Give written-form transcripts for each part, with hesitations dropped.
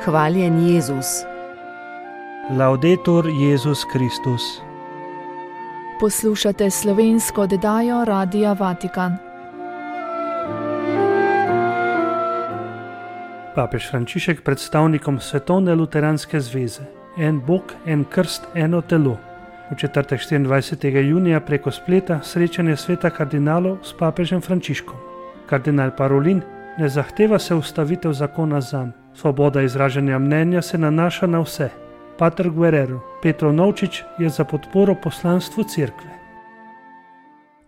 Hvaljen Jezus. Laudetur Jezus Kristus. Poslušate slovensko oddajo Radia Vatikan. Papež Frančišek predstavnikom Svetovne luteranske zveze. En Bog, en krst, eno telo. V četrtek 24. junija preko spleta srečanje sveta kardinalov s papežem Frančiškom. Kardinal Parolin ne zahteva se ustavitev zakona zanj. Svoboda izražanja mnenja se nanaša na vse. Pater Guerrero Petrov Novčič je za podporo poslanstvu cerkve.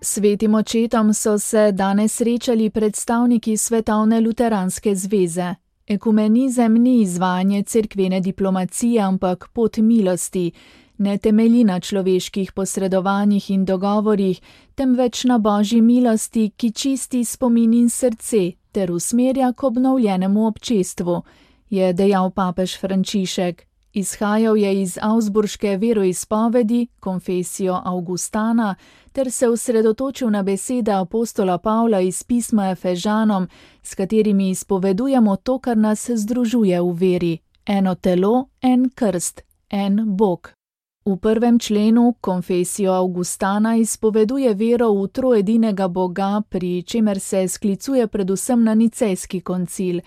Svetim očetom so se danes srečali predstavniki Svetovne luteranske zveze. Ekumenizem ni izvajanje cerkvene diplomacije, ampak pot milosti, ne temelji na človeških posredovanjih in dogovorih, temveč na Božji milosti, ki čisti spomin in srce ter usmerja k obnovljenemu občestvu, je dejal papež Frančišek. Izhajal je iz augsburške veroizpovedi, Confessio Augustana, ter se osredotočil na besede apostola Pavla iz pisma Efežanom, s katerimi izpovedujemo to, kar nas združuje v veri. Eno telo, en krst, en Bog. V 1. členu Confessio Augustana izpoveduje vero v troedinega Boga, pri čemer se sklicuje predvsem na nicejski koncil.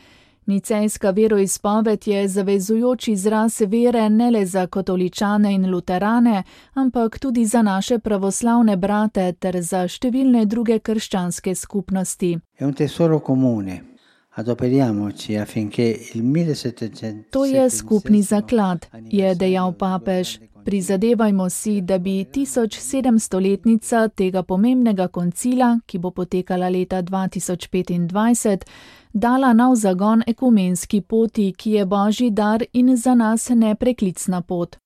Nicejska veroizpoved je zavezujoč izraz vere ne le za katoličane in luterane, ampak tudi za naše pravoslavne brate ter za številne druge krščanske skupnosti. To je skupni zaklad, je dejal papež. Prizadevajmo si, da bi 1700-letnica tega pomembnega koncila, ki bo potekala leta 2025, dala nov zagon ekumenski poti, ki je Božji dar in za nas nepreklicna pot.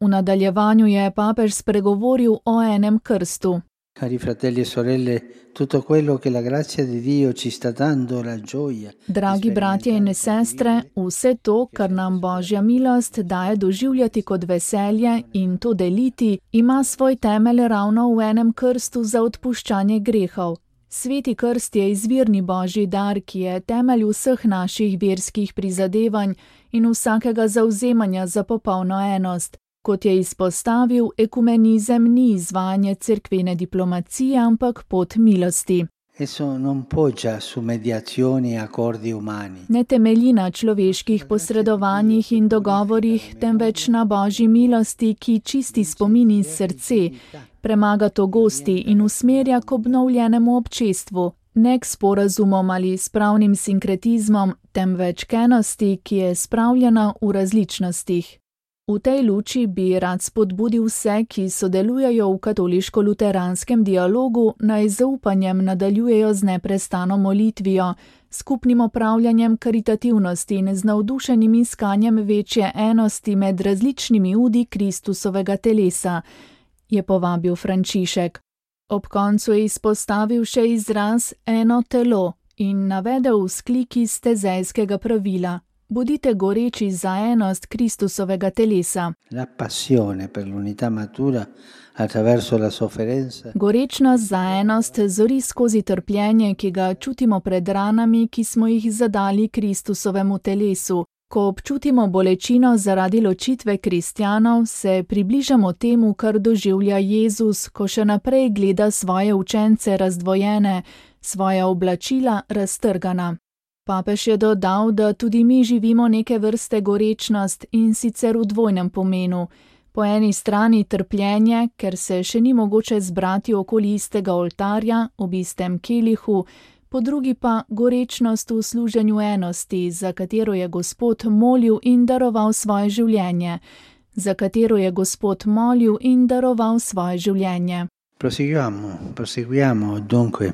V nadaljevanju je papež spregovoril o enem krstu. Cari fratelli e sorelle, tutto quello che la grazia di Dio ci sta dando la gioia. Dragi bratje in sestre, vse to, kar nam Božja milost daje doživljati kot veselje in to deliti, ima svoj temelj ravno v enem krstu za odpuščanje grehov. Sveti krst je izvirni Božji dar, ki je temelj vseh naših verskih prizadevanj in vsakega zavzemanja za popolno enost. Kot je izpostavil, ekumenizem ni izvajanje cerkvene diplomacije, ampak pot milosti. Ne temelji na človeških posredovanjih in dogovorih, temveč na Božji milosti, ki čisti spomin in srce, premaga togosti in usmerja k obnovljenemu občestvu, ne k sporazumom ali spravnim sinkretizmom, temveč k enosti, ki je spravljena v različnostih. V tej luči bi rad spodbudil vse, ki sodelujejo v katoliško-luteranskem dialogu, naj zaupanjem nadaljujejo z neprestano molitvijo, skupnim opravljanjem karitativnosti in z navdušenim iskanjem večje enosti med različnimi udi Kristusovega telesa, je povabil Frančišek. Ob koncu je izpostavil še izraz eno telo in navedel vzklik iz tezejskega pravila. Bodite goreči za enost Kristusovega telesa. Gorečnost za enost zori skozi trpljenje, ki ga čutimo pred ranami, ki smo jih zadali Kristusovemu telesu. Ko občutimo bolečino zaradi ločitve kristjanov, se približamo temu, kar doživlja Jezus, ko še naprej gleda svoje učence razdvojene, svoja oblačila raztrgana. Papež je dodal, da tudi mi živimo neke vrste gorečnost in sicer v dvojnem pomenu. Po eni strani trpljenje, ker se še ni mogoče zbrati okoli istega oltarja, ob istem kelihu, po drugi pa gorečnost v služenju enosti, za katero je Gospod molil in daroval svoje življenje. Proseguiamo dunque.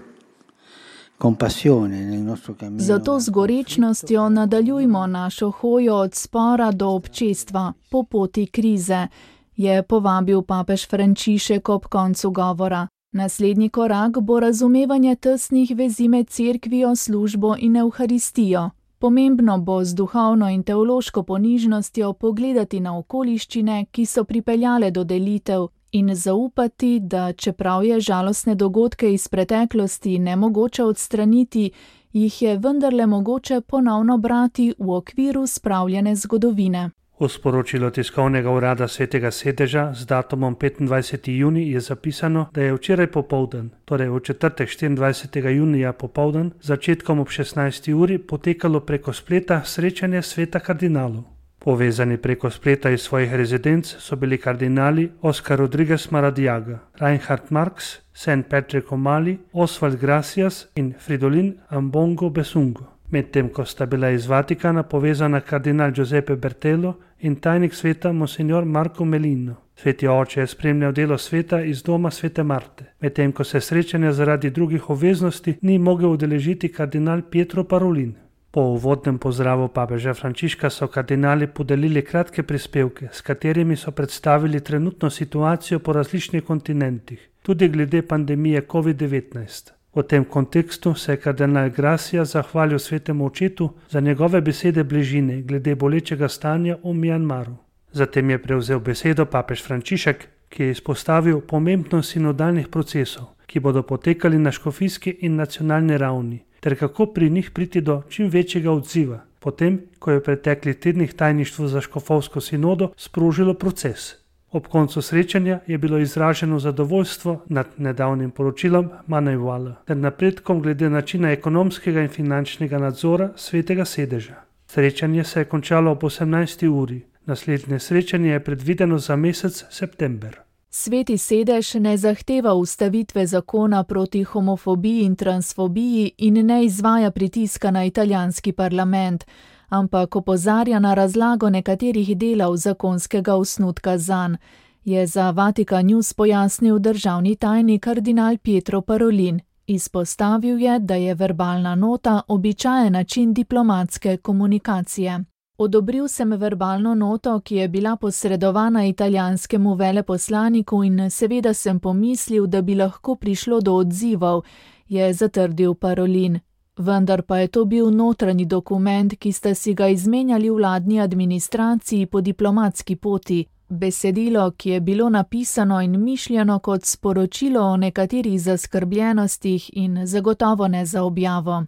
Zato z gorečnostjo nadaljujmo našo hojo od spora do občestva, po poti krize, je povabil papež Frančišek ob koncu govora. Naslednji korak bo razumevanje tesnih vezi med cerkvijo, službo in evharistijo. Pomembno bo z duhovno in teološko ponižnostjo pogledati na okoliščine, ki so pripeljale do delitev, in zaupati, da čeprav je žalostne dogodke iz preteklosti nemogoče odstraniti, jih je vendarle mogoče ponovno brati v okviru spravljene zgodovine. V sporočilu tiskovnega urada Svetega sedeža z datumom 25. junij je zapisano, da je včeraj popoldan, torej v četrtek 24. junija popoldan, začetkom ob 16. uri potekalo preko spleta srečanje sveta kardinalov. Povezani preko spleta iz svojih rezidenc so bili kardinali Oscar Rodriguez Maradiaga, Reinhard Marx, St. Patrick O'Malley, Oswald Gracias in Fridolin Ambongo Besungo. Medtem ko sta bila iz Vatikana povezana kardinal Giuseppe Bertello in tajnik sveta monsignor Marco Melino. Sveti oče je spremljal delo sveta iz doma svete Marte, medtem ko se srečanja zaradi drugih obveznosti ni mogel udeležiti kardinal Pietro Parolin. Po uvodnem pozdravu papeža Frančiška so kardinali podelili kratke prispevke, s katerimi so predstavili trenutno situacijo po različnih kontinentih, tudi glede pandemije COVID-19. V tem kontekstu se je kardinal Gracia zahvalil svetemu očetu za njegove besede bližine glede bolečega stanja v Mjanmaru. Zatem je prevzel besedo papež Frančišek, ki je izpostavil pomembnost sinodalnih procesov, ki bodo potekali na škofijski in nacionalni ravni, ter kako pri njih priti do čim večjega odziva, potem, ko je v preteklih tednih tajništvo za škofovsko sinodo sprožilo proces. Ob koncu srečanja je bilo izraženo zadovoljstvo nad nedavnim poročilom Manejvala ter napredkom glede načina ekonomskega in finančnega nadzora Svetega sedeža. Srečanje se je končalo ob 18. uri. Naslednje srečanje je predvideno za mesec september. Sveti sedež ne zahteva ustavitve zakona proti homofobiji in transfobiji in ne izvaja pritiska na italijanski parlament, ampak opozarja na razlago nekaterih delov zakonskega osnutka zanj, je za Vatikan News pojasnil državni tajnik kardinal Pietro Parolin. Izpostavil je, da je verbalna nota običajen način diplomatske komunikacije. Odobril sem verbalno noto, ki je bila posredovana italijanskemu veleposlaniku in seveda sem pomislil, da bi lahko prišlo do odzivov, je zatrdil Parolin. Vendar pa je to bil notranji dokument, ki sta si ga izmenjali v vladni administraciji po diplomatski poti. Besedilo, ki je bilo napisano in mišljeno kot sporočilo o nekaterih zaskrbljenostih in zagotovo ne za objavo.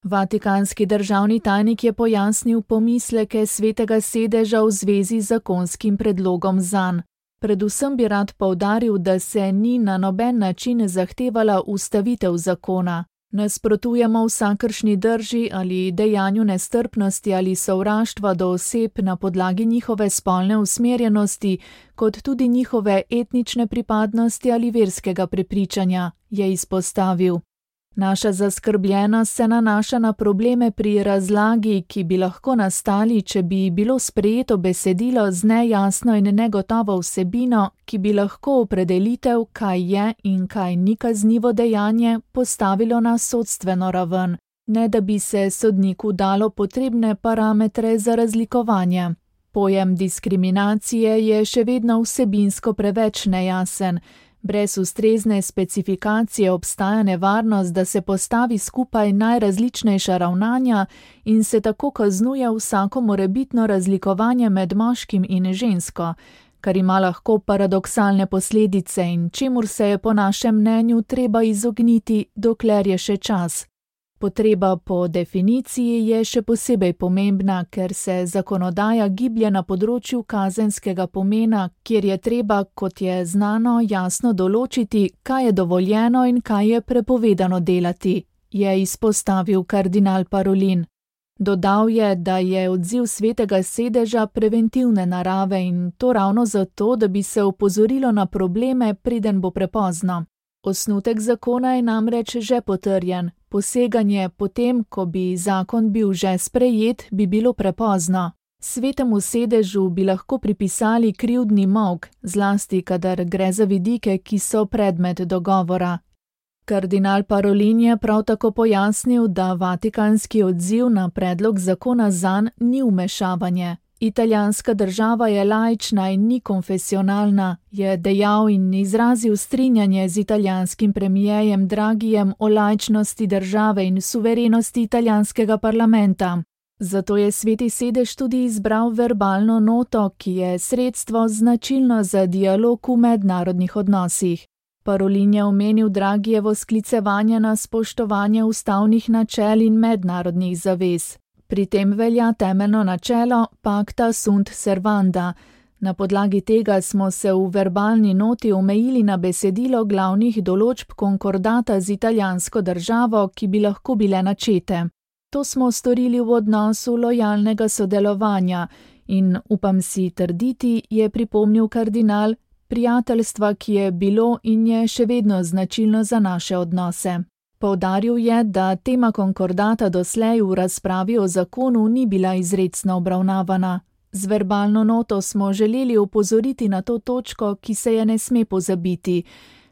Vatikanski državni tajnik je pojasnil pomisleke Svetega sedeža v zvezi z zakonskim predlogom zanj. Predvsem bi rad poudaril, da se ni na noben način zahtevala ustavitev zakona. Nasprotujemo vsakršni drži ali dejanju nestrpnosti ali sovraštva do oseb na podlagi njihove spolne usmerjenosti, kot tudi njihove etnične pripadnosti ali verskega prepričanja, je izpostavil. Naša zaskrbljenost se nanaša na probleme pri razlagi, ki bi lahko nastali, če bi bilo sprejeto besedilo z nejasno in negotovo vsebino, ki bi lahko opredelitev, kaj je in kaj ni kaznivo dejanje, postavilo na sodstveno raven, ne da bi se sodniku dalo potrebne parametre za razlikovanje. Pojem diskriminacije je še vedno vsebinsko preveč nejasen. Brez ustrezne specifikacije obstaja nevarnost, da se postavi skupaj najrazličnejša ravnanja in se tako kaznuje vsako morebitno razlikovanje med moškim in žensko, kar ima lahko paradoksalne posledice in čemur se je po našem mnenju treba izogniti, dokler je še čas. Potreba po definiciji je še posebej pomembna, ker se zakonodaja giblje na področju kazenskega pomena, kjer je treba, kot je znano, jasno določiti, kaj je dovoljeno in kaj je prepovedano delati, je izpostavil kardinal Parolin. Dodal je, da je odziv Svetega sedeža preventivne narave in to ravno zato, da bi se opozorilo na probleme, preden bo prepozno. Osnutek zakona je namreč že potrjen. Poseganje potem, ko bi zakon bil že sprejet, bi bilo prepozno. Svetemu sedežu bi lahko pripisali krivdni molk, zlasti kadar gre za vidike, ki so predmet dogovora. Kardinal Parolin je prav tako pojasnil, da vatikanski odziv na predlog zakona zanj ni vmešavanje. Italijanska država je laična in ni konfesionalna, je dejal in izrazil strinjanje z italijanskim premijejem Dragijem o laičnosti države in suverenosti italijanskega parlamenta. Zato je Sveti sedež tudi izbral verbalno noto, ki je sredstvo značilno za dialog v mednarodnih odnosih. Parolin je omenil Dragijevo sklicevanje na spoštovanje ustavnih načel in mednarodnih zavez. Pri tem velja temeljno načelo pacta sunt servanda. Na podlagi tega smo se v verbalni noti omejili na besedilo glavnih določb konkordata z italijansko državo, ki bi lahko bile načete. To smo storili v odnosu lojalnega sodelovanja in, upam si trditi, je pripomnil kardinal, prijateljstva, ki je bilo in je še vedno značilno za naše odnose. Poudaril je, da tema konkordata doslej v razpravi o zakonu ni bila izrecno obravnavana. Z verbalno noto smo želeli opozoriti na to točko, ki se je ne sme pozabiti.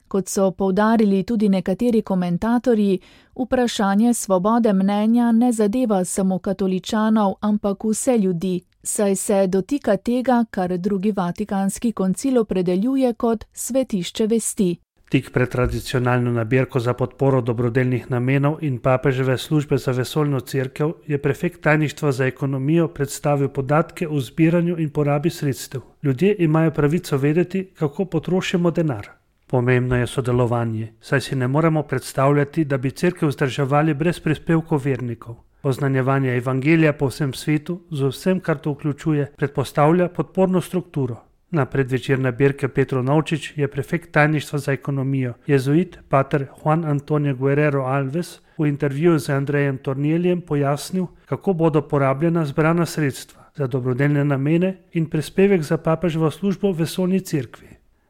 Kot so poudarili tudi nekateri komentatorji, vprašanje svobode mnenja ne zadeva samo katoličanov, ampak vse ljudi, saj se dotika tega, kar drugi Vatikanski koncil opredeljuje kot svetišče vesti. Tik pred tradicionalno nabirko za podporo dobrodelnih namenov in papeževe službe za vesoljno cerkev je prefekt tajništva za ekonomijo predstavil podatke o zbiranju in porabi sredstev. Ljudje imajo pravico vedeti, kako potrošimo denar. Pomembno je sodelovanje, saj si ne moremo predstavljati, da bi cerkev vzdrževali brez prispevkov vernikov. Oznanjevanje evangelija po vsem svetu, z vsem, kar to vključuje, predpostavlja podporno strukturo. Na predvečer nabirke Petro Novčič je prefekt tajništva za ekonomijo, jezuit pater Juan Antonio Guerrero Alves, v intervjuju z Andrejem Torneljem pojasnil, kako bodo porabljena zbrana sredstva za dobrodelne namene in prispevek za papeževo službo v vesoljni cerkvi.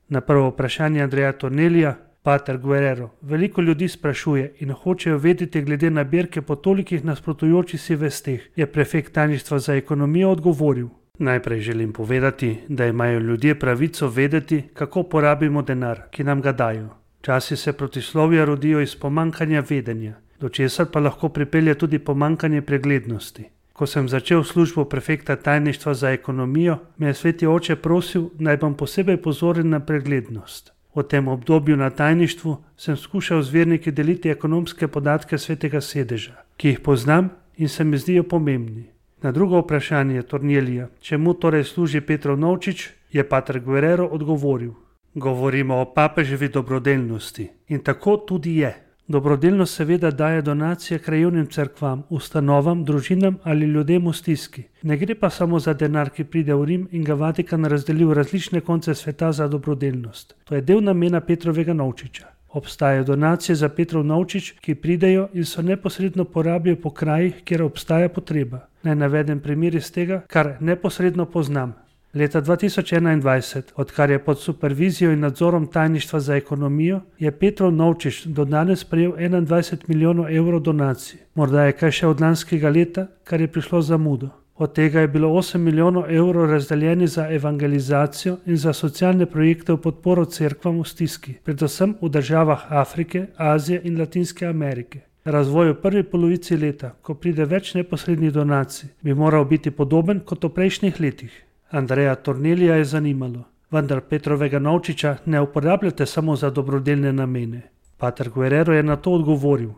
Na prvo vprašanje Andreja Tornelja, pater Guerrero, veliko ljudi sprašuje in hočejo vedeti glede nabirke po tolikih nasprotujočih si vesteh, je prefekt tajništva za ekonomijo odgovoril. Najprej želim povedati, da imajo ljudje pravico vedeti, kako porabimo denar, ki nam ga dajo. Časi se protislovja rodijo iz pomankanja vedenja, do česar pa lahko pripelje tudi pomankanje preglednosti. Ko sem začel službo prefekta tajništva za ekonomijo, me je sveti oče prosil, naj bom posebej pozoren na preglednost. V tem obdobju na tajništvu sem skušal z verniki deliti ekonomske podatke svetega sedeža, ki jih poznam in se mi zdijo pomembni. Na drugo vprašanje Tornelija, čemu torej služi Petro Novčič, je pater Guerrero odgovoril. Govorimo o papeževi dobrodelnosti in tako tudi je. Dobrodelnost seveda daje donacije krajevnim cerkvam, ustanovam, družinam ali ljudem v stiski. Ne gre pa samo za denar, ki pride v Rim in ga Vatikan razdeli v različne konce sveta za dobrodelnost. To je del namena Petrovega Novčiča. Obstajajo donacije za Petrov Novčič, ki pridejo in so neposredno porabijo po krajih, kjer obstaja potreba. Naj navedem primer iz tega, kar neposredno poznam. Leta 2021, odkar je pod supervizijo in nadzorom tajništva za ekonomijo, je Petrov Novčič do danes prejel 21 milijonov evrov donacij. Morda je kaj še od lanskega leta, kar je prišlo zamudo. Od tega je bilo 8 milijonov evrov razdeljeni za evangelizacijo in za socialne projekte v podporo cerkvam v stiski, predvsem v državah Afrike, Azije in Latinske Amerike. Razvoj v prvi polovici leta, ko pride več neposrednih donacij, bi moral biti podoben kot v prejšnjih letih. Andreja Tornelija je zanimalo, vendar Petrovega Novčiča ne uporabljate samo za dobrodelne namene. Pater Guerrero je na to odgovoril.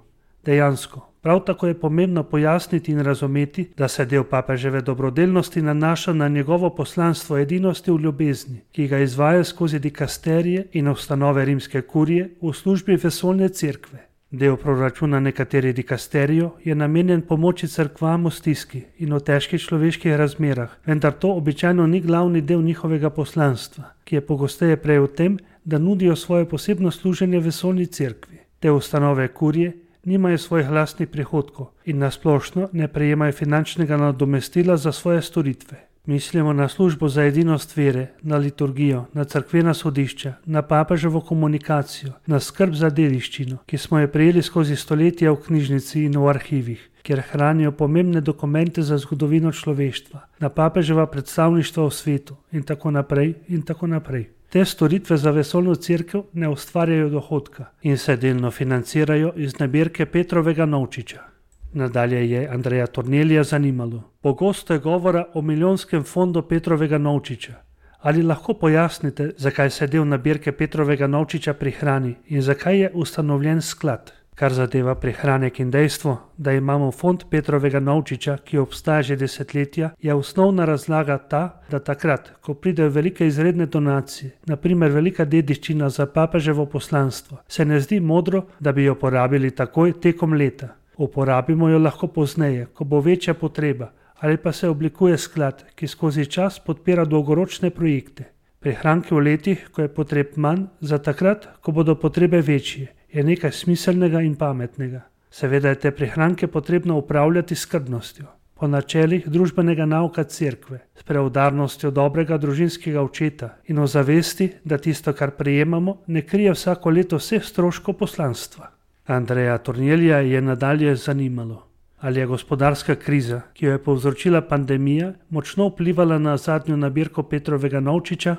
Dejansko, prav tako je pomembno pojasniti in razumeti, da se del papeževe dobrodelnosti nanaša na njegovo poslanstvo edinosti v ljubezni, ki ga izvaja skozi dikasterije in ustanove rimske kurije v službi vesoljne cerkve. Del proračuna nekaterih dikasterijev je namenjen pomoči cerkvam v stiski in v težkih človeških razmerah, vendar to običajno ni glavni del njihovega poslanstva, ki je pogosteje prej v tem, da nudijo svoje posebno služenje vesoljni cerkvi. Te ustanove kurije nimajo svojih lastnih prihodkov in nasplošno ne prejemajo finančnega nadomestila za svoje storitve. Mislimo na službo za edinost vere, na liturgijo, na cerkvena sodišča, na papeževo komunikacijo, na skrb za dediščino, ki smo jo prejeli skozi stoletja v knjižnici in v arhivih, kjer hranijo pomembne dokumente za zgodovino človeštva, na papeževa predstavništva v svetu in tako naprej in tako naprej. Te storitve za vesoljno cerkev ne ustvarjajo dohodka in se delno financirajo iz nabirke Petrovega Novčiča. Nadalje je Andreja Tornelija zanimalo. Pogosto je govora o milijonskem fondu Petrovega Novčiča. Ali lahko pojasnite, zakaj se del nabirke Petrovega Novčiča prihrani in zakaj je ustanovljen sklad? Kar zadeva prihranek in dejstvo, da imamo fond Petrovega Novčiča, ki obstaja že desetletja, je osnovna razlaga ta, da takrat, ko pridejo velike izredne donacije, naprimer velika dediščina za papeževo poslanstvo, se ne zdi modro, da bi jo porabili takoj tekom leta. Uporabimo jo lahko pozneje, ko bo večja potreba, ali pa se oblikuje sklad, ki skozi čas podpira dolgoročne projekte. Prihranki v letih, ko je potreb manj, za takrat, ko bodo potrebe večje, je nekaj smiselnega in pametnega. Seveda je te prihranke potrebno upravljati s skrbnostjo, po načelih družbenega nauka cerkve, s preudarnostjo dobrega družinskega očeta in o zavesti, da tisto, kar prejemamo, ne krije vsako leto vseh stroškov poslanstva. Andreja Tornelija je nadalje zanimalo, ali je gospodarska kriza, ki jo je povzročila pandemija, močno vplivala na zadnjo nabirko Petrovega Novčiča.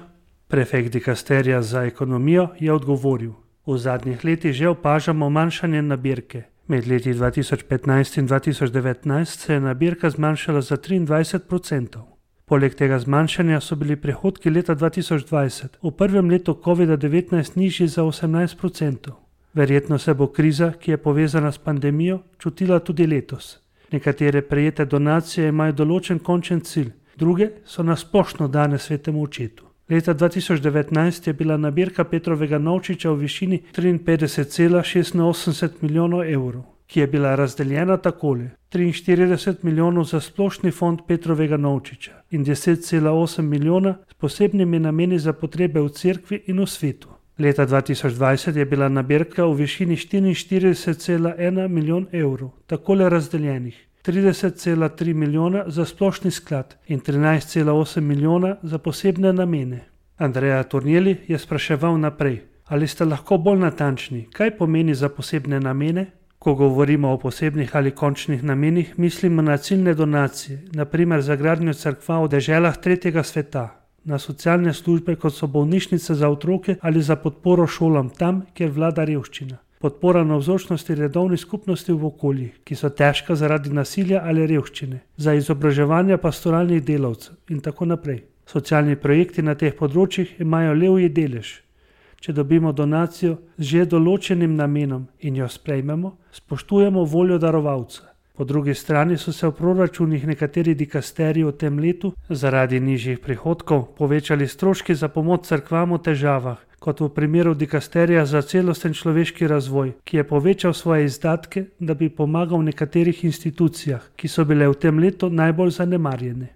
Prefekt dikasterija za ekonomijo je odgovoril: v zadnjih letih že opažamo manjšanje nabirke. Med leti 2015 in 2019 se je nabirka zmanjšala za 23%. Poleg tega zmanjšanja so bili prihodki leta 2020 v prvem letu COVID-19 nižji za 18%. Verjetno se bo kriza, ki je povezana s pandemijo, čutila tudi letos. Nekatere prejete donacije imajo določen končen cilj, druge so na splošno dane svetemu očetu. Leta 2019 je bila nabirka Petrovega Novčiča v višini 53,86 milijonov evrov, ki je bila razdeljena takole: 43 milijonov za splošni fond Petrovega Novčiča in 10,8 milijona s posebnimi nameni za potrebe v cerkvi in v svetu. Leta 2020 je bila nabirka v višini 44,1 milijon evrov, takole razdeljenih: 30,3 milijona za splošni sklad in 13,8 milijona za posebne namene. Andreja Tornelij je spraševal naprej: ali ste lahko bolj natančni, kaj pomeni za posebne namene? Ko govorimo o posebnih ali končnih namenih, mislimo na ciljne donacije, naprimer za gradnjo cerkva v deželah tretjega sveta, na socialne službe, kot so bolnišnice za otroke, ali za podporo šolam tam, kjer vlada revščina. Podpora navzočnosti redovnih skupnosti v okoljih, ki so težka zaradi nasilja ali revščine, za izobraževanje pastoralnih delavcev in tako naprej. Socialni projekti na teh področjih imajo levji delež. Če dobimo donacijo z že določenim namenom in jo sprejmemo, spoštujemo voljo darovalca. Po drugi strani so se v proračunih nekaterih dikasterij v tem letu zaradi nižjih prihodkov povečali stroški za pomoč cerkvam v težavah, kot v primeru dikasterija za celosten človeški razvoj, ki je povečal svoje izdatke, da bi pomagal v nekaterih institucijah, ki so bile v tem letu najbolj zanemarjene.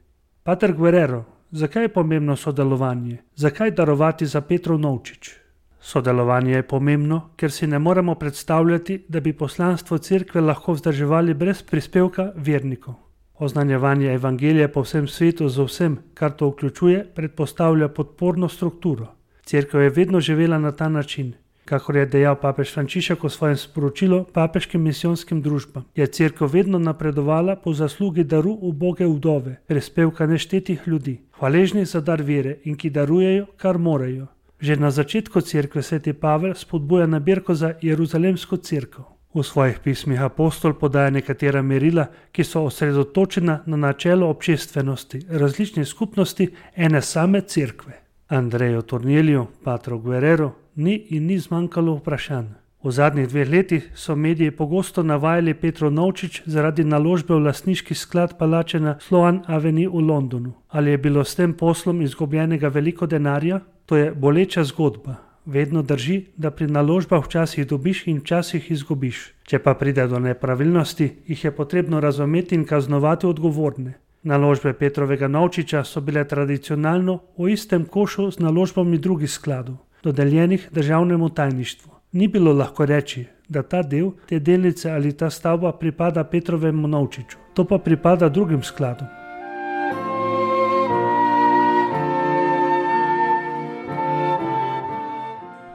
Pater Guerrero, zakaj je pomembno sodelovanje? Zakaj darovati za Petrov Novčič? Sodelovanje je pomembno, ker si ne moremo predstavljati, da bi poslanstvo cerkve lahko vzdrževali brez prispevka vernikov. Oznanjevanje evangelija po vsem svetu z vsem, kar to vključuje, predpostavlja podporno strukturo. Cerkev je vedno živela na ta način. Kakor je dejal papež Frančišek v svojem sporočilu papeškim misijonskim družbam, je cerkev vedno napredovala po zaslugi daru uboge vdove, prispevka neštetih ljudi, hvaležnih za dar vere in ki darujejo, kar morajo. Že na začetku cerkve sveti Pavel spodbuja nabirko za Jeruzalemsko cerkev. V svojih pismih apostol podaja nekatera merila, ki so osredotočena na načelo občestvenosti, različnih skupnosti ene same cerkve. Andreju Torneliju, patru Guerrero, ni zmanjkalo vprašanj. V zadnjih 2 letih so mediji pogosto navajali Petrov Novčič zaradi naložbe v lastniški sklad palače na Sloane Avenue v Londonu. Ali je bilo s tem poslom izgubljenega veliko denarja? To je boleča zgodba. Vedno drži, da pri naložbah včasih dobiš in včasih izgubiš. Če pa pride do nepravilnosti, jih je potrebno razumeti in kaznovati odgovorne. Naložbe Petrovega Novčiča so bile tradicionalno v istem košu z naložbami drugih skladov, dodeljenih državnemu tajništvu. Ni bilo lahko reči, da ta del, te delnice ali ta stavba pripada Petrovemu Novčiču, to pa pripada drugim skladom.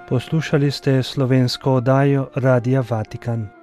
Poslušali ste slovensko oddajo Radia Vatikan.